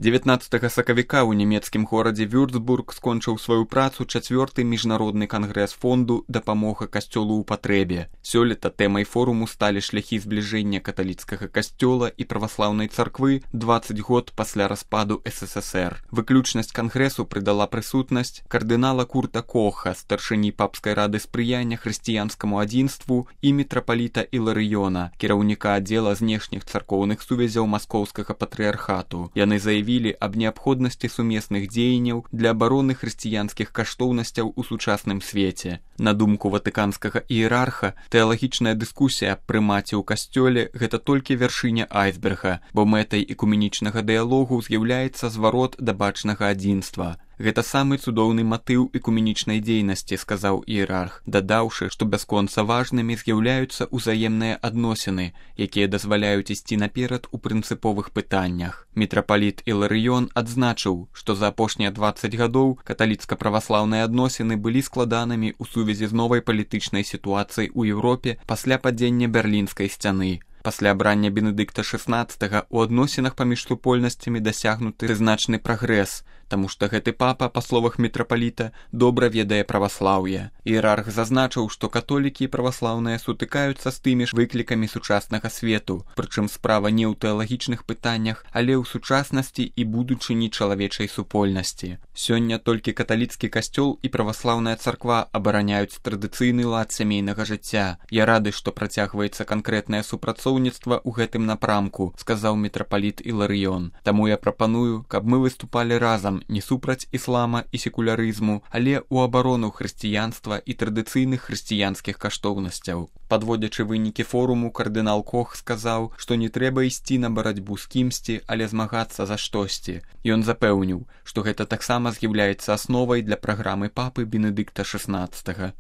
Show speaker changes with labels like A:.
A: 19 сакавіка ў нямецкім горадзе Вюрцбург скончыў сваю працу 4-й міжнародны кангрэс фонду «Дапамога касцёлу ў патрэбе». Сёлета тэмай форуму сталі шляхі збліжэння каталіцкага касцёла і праваслаўнай царквы 20 год пасля распаду СССР. Выключнасць кангрэсу прыдала прысутнасць кардынала Курта Коха, старшыні папскай рады спрыяння хрысціянскаму адзінству і мітрапаліта Іларыёна, кіраўніка аддзела знешніх царкоўных сувязяў маскоўскага патрыархату. Яны заявілі аб неабходнасці сумесных дзеянняў для абароны хрысціянскіх каштоўнасцяў у сучасным свеце. На думку ватыканскага іерарха, тэалагічная дыскусія аб прымаце ў касцёле – гэта толькі вяршыня айсберга, бо мэтай экуменічнага дыялогу з'яўляецца зварот да бачнага адзінства. Гэта самы цудоўны матыў экуменічнай дзейнасці, сказаў іерарх, дадаўшы, што бясконца важнымі з'яўляюцца ўзаемныя адносіны, якія дазваляюць ісці наперад у прынцыповых пытаннях. Мітрапаліт Іларыён адзначыў, што за апошнія 20 гадоў каталіцка-праваслаўныя адносіны былі складанымі ў сувязі з новай палітычнай сітуацыяй у Еўропе пасля падзення Берлінскай сцяны. Пасля абрання Бенедыкта XVI у адносінах паміж супольнасцямі дасягнуты значны прагрэс, таму што гэты папа, па словах мітрапаліта, добра ведае праваслаўе. Іерарх зазначыў, што католікі і праваслаўныя сутыкаюцца з тымі ж выклікамі сучаснага свету, прычым справа не ў тэалагічных пытаннях, але ў сучаснасці і будучыні чалавечай супольнасці. Сёння толькі каталіцкі касцёл і праваслаўная царква абараняюць традыцыйны лад сямейнага жыцця. Я рады, што працягваецца канкрэтнае супрацоўніцтва ў гэтым напрамку, сказаў мітрапаліт Іларыён. Таму я прапаную, каб мы выступалі разам не супраць іслама і секулярызму, але ў абарону хрысціянства і традыцыйных хрысціянскіх каштоўнасцяў. Падводзячы вынікі форуму, кардынал Кох сказаў, што не трэба ісці на барацьбу з кімсьці, але змагацца за штосьці. Ён запэўніў, што гэта таксама з'яўляецца асновай для праграмы папы Бенедыкта XVI.